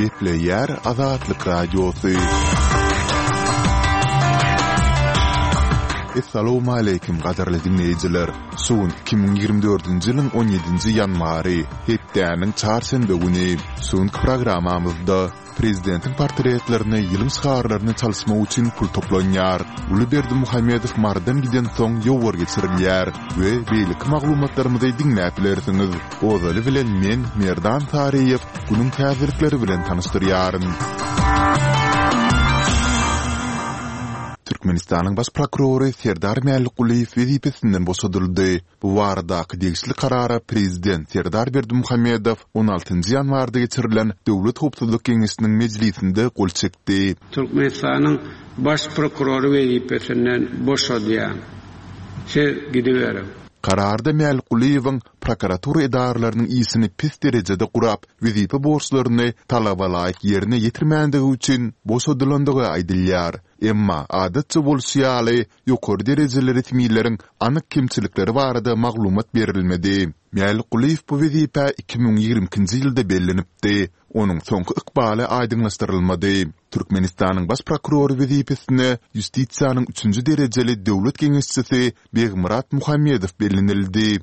Gepleýär Azatlyk Radiosy. Essalawmaleýkim gadyrly diňleýjiler! Şu gün 2024-nji ýylyň 17-nji ýanwary, hepdäniň çarşenbe güni. Şu günki programmamyzda Prezidentiň portretlerini ýylyň şygarlaryny çalyşmak üçin pul toplanýar. Uly Berdimuhamedow Marydan gidensoň ýowar geçirilýär we beýleki maglumatlarymyzy diňläp bilersiňiz. Ozaly bilen men, Merdan Saryýew, günüň täzelikleri bilen tanyşdyrýaryn. Türkmenistanyň Baş prokurory Serdar Mälikgulyýew wezipesinden boşadyldy. Bu baradaky degişli karara prezident Serdar Berdimuhamedow on altynjy ýanwarda geçirilen Döwlet howpsuzlyk geňeşiniň mejlisinde gol çekdi. Türkmenistanyň Baş prokurory wezipesinden boşadýan. Siz gidiberiň. Kararda Mälikgulyýewiň prokuratura edaralarynyň işini pes derejede gurap, wezipe borçlaryny talabalaýyk ýerine ýetirmändigi üçin boşadylandygy aýdylýar. Emma, adatça bolşy ýaly, ýokary derejeli resmileriň anyk kemçilikleri barada maglumat berilmedi. Mälikgulyýew bu wezipä 2022-nji ýylda bellenipdi. Onuň soňky ykbaly aýdyňlaşdyrylmady. Türkmenistanyň Baş prokurory wezipesine ýustisiýanyň üçünji derejeli döwlet geňeşçisi Begmyrat Muhammedow bellenildi.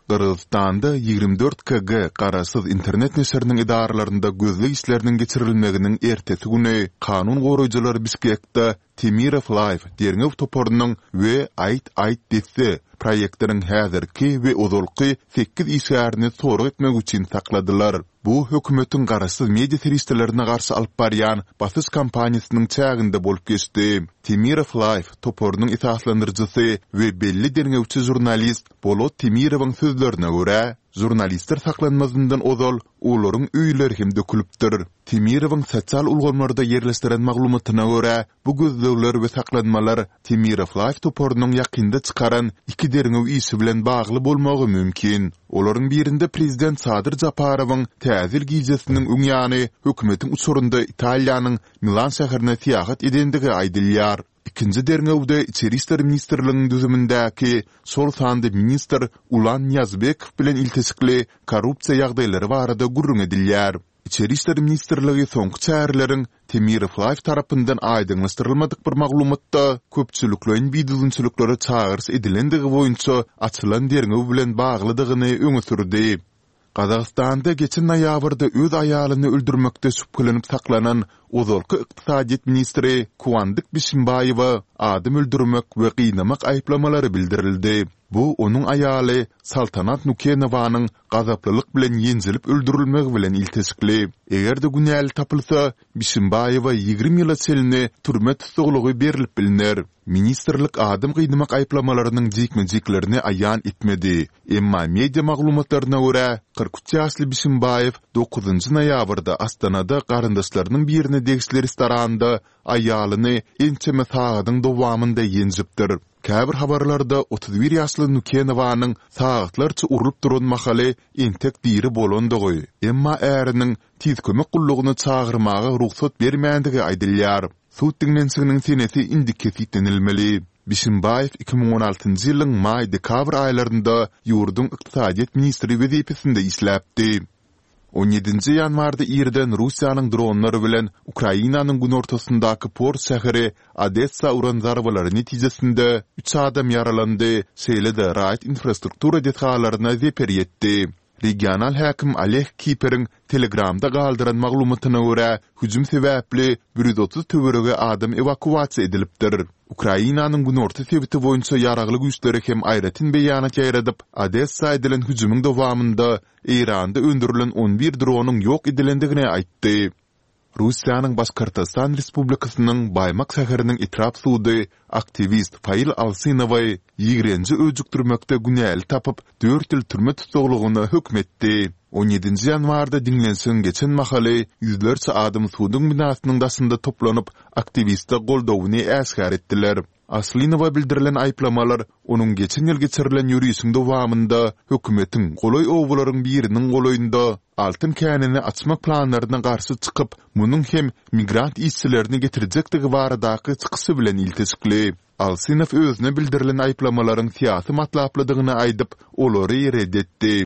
Gyrgyzystanda 24 KG garaşsyz internet neşiriniň edaralarynda gözleg işleriniň geçirilmeginiň ertesi güni kanun goraýjylar Bişkekde Temirow Live derňew toparynyň we Aýt aýt desse proýektiniň häzirki we ozalky sekiz işgärini sorag etmek üçin sakladylar. Bu hökümetiň garaşsyz media serişdelerine garşy alyp barýan basyş kampaniýasynyň çäginde bolup geçdi. Temirow Live toparynyň esaslandyryjysy we belli derňewçi žurnalist Bolot Temirowyň sözlerine görä, žurnalistler saklanmazyndan ozal olaryň öýleri hem dökülipdir. Temirowyň sosial ulgamlarda ýerleşdiren maglumatyna görä, bu gözlegler we saklanmalar Temirow Live toparynyň ýakynda çykaran iki derňew işi bilen bagly bolmagy mümkin. Olaryň birinde prezident Sadyr Japarowyň Täze ýyl gijesiniň öň ýany hökümetiň uçarynda Italiýanyň Milan şäherine syýahat edendigi aýdylýar. Ikinji derňewde Içeri işler ministrliginiň düzümindäki, şol sanda ministr Ulan Nyýazbekow bilen ilteşikli korrupsiýa ýagdaýlary barada gürrüň edilýär. Içeri işler ministrligi soňky çäreleriň Temirow Live tarapyndan aýdyňlaşdyrylmadyk bir maglumatda köpçülikleýin bidüzgünçiliklere çagyryş edilendigi boýunça açylan derňew bilen baglydygyny öňe sürdi. Gazagystanda geçen noýabrda öz aýalyny öldürmekde şübhelenip saklanan ozalky ykdysadyýet ministri Kuandyk Bişimbaýewe adam öldürmek we gynamak aýyplamalary bildirildi. Bu onuň aýaly Saltanat Nukenowanyň gazaplylyk bilen ýenjilip öldürilmegi bilen ilteşikli. Eger-de günäli tapylsa, Bişimbaýewe 20 ýyla çenli türme tussaglygy berlip bilner. Ministrlik adam gynamak aýyplamalarynyň jikme-jiklerini aýan etmedi. Emma media maglumatlaryna görä, 43 ýaşly Bişimbaýew dokuzynjy noýabrda Astanada garyndaşlarynyň birine degişli restoranda aýalyny ençeme sagadyň dowamynda ýenjipdir. Käbir habarlarda 31 ýaşly Nukenowanyň sagatlarça urlup duran mahaly entek diri bolandygy, emma äriniň Tiz kömek gullugyny çagyrmaga rugsat bermändigi aýdylýar. Sud diňlenişiginiň senesi indi kesgitlenilmeli. Bişimbaýew 2016-njy ýylyň maý-dekabr aýlarynda ýurduň ykdysadyýet ministri wezipesinde işläpdi. On ýedinji ýanwarda irden Russiýanyň dronlary bilen Ukrainanyň günortasyndaky port şäheri Odessa uran zarbalary netijesinde üç adam ýaralandy, şeýle-de raýat infrastruktura desgalaryna zeper ýetdi. Regional häkim Oleg Kiperiň Telegramda galdyran maglumatyna görä, hüjüm sebäpli 130 töweregi adam ewakuasiýa edilipdir. Ukrainanyň günorta sebiti boýunça ýaragly güýçleri hem aýratyn beýanat ýaýradyp, Odessa edilen hüjümiň dowamynda Eýranda öndürilen on bir dronyň ýok edilendigini aýtdy. Russiýanyň Başkortostan Respublikasynyň Baýmak şäheriniň etrap sudy aktiwist Fail Alsynowy ýigrenji öjükdirmekde günäli tapyp, dört ýyl türme tussaglygyna höküm etdi. On ýedinji ýanwarda diňlenişigiň geçen mahaly ýüzlerçe adam suduň binasynyň daşynda toplanyp, aktiwiste goldawyny äşgär etdiler. Aslynowa bildirilen aýyplamalar onuň geçen ýyl geçirilen ýörişiň dowamynda hökümetiň golaý obalaryň biriniň golaýynda altyn känini açmak planlaryna garşy çykyp, munuň hem migrant işçilerini getirjekdigi baradaky çykyşy bilen ilteşikli. Alsynow özüne bildirilen aýyplamalaryň syýasy matlaplydygyny aýdyp, olary ret etdi.